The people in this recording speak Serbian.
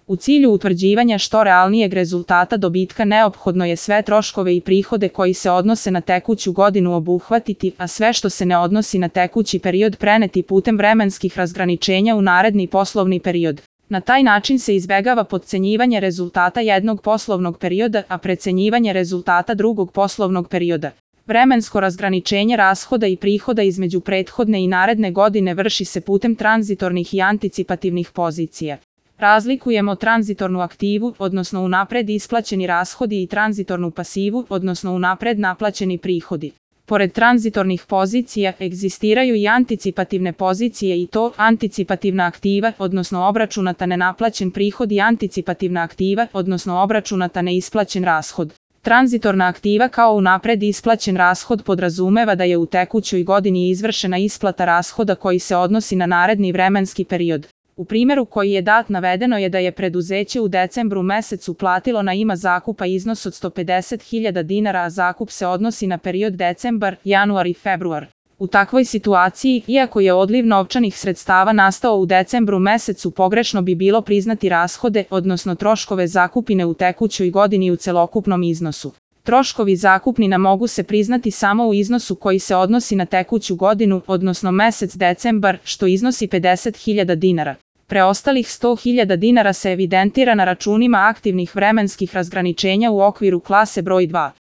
U cilju utvrđivanja što realnijeg rezultata dobitka neophodno je sve troškove i prihode koji se odnose na tekuću godinu obuhvatiti, a sve što se ne odnosi na tekući period preneti putem vremenskih razgraničenja u naredni poslovni period. Na taj način se izbegava potcenjivanje rezultata jednog poslovnog perioda, a precenjivanje rezultata drugog poslovnog perioda. Vremensko razgraničenje rashoda i prihoda između prethodne i naredne godine vrši se putem tranzitornih i anticipativnih pozicija. Razlikujemo tranzitornu aktivu, odnosno unapred isplaćeni rashodi, i tranzitornu pasivu, odnosno unapred naplaćeni prihodi. Pored tranzitornih pozicija, egzistiraju i anticipativne pozicije, i to anticipativna aktiva, odnosno obračunata nenaplaćen prihod, i anticipativna aktiva, odnosno obračunata neisplaćen rashod. Tranzitorna aktiva kao unapred isplaćen rashod podrazumeva da je u tekućoj godini izvršena isplata rashoda koji se odnosi na naredni vremenski period. U primjeru koji je dat navedeno je da je preduzeće u decembru mesecu platilo na ime zakupa iznos od 150.000 dinara, a zakup se odnosi na period decembar, januar i februar. U takvoj situaciji, iako je odliv novčanih sredstava nastao u decembru mesecu, pogrešno bi bilo priznati rashode, odnosno troškove zakupnine u tekućoj godini u celokupnom iznosu. Troškovi zakupnina mogu se priznati samo u iznosu koji se odnosi na tekuću godinu, odnosno mesec decembar, što iznosi 50.000 dinara. Preostalih 100.000 dinara se evidentira na računima aktivnih vremenskih razgraničenja u okviru klase broj 2.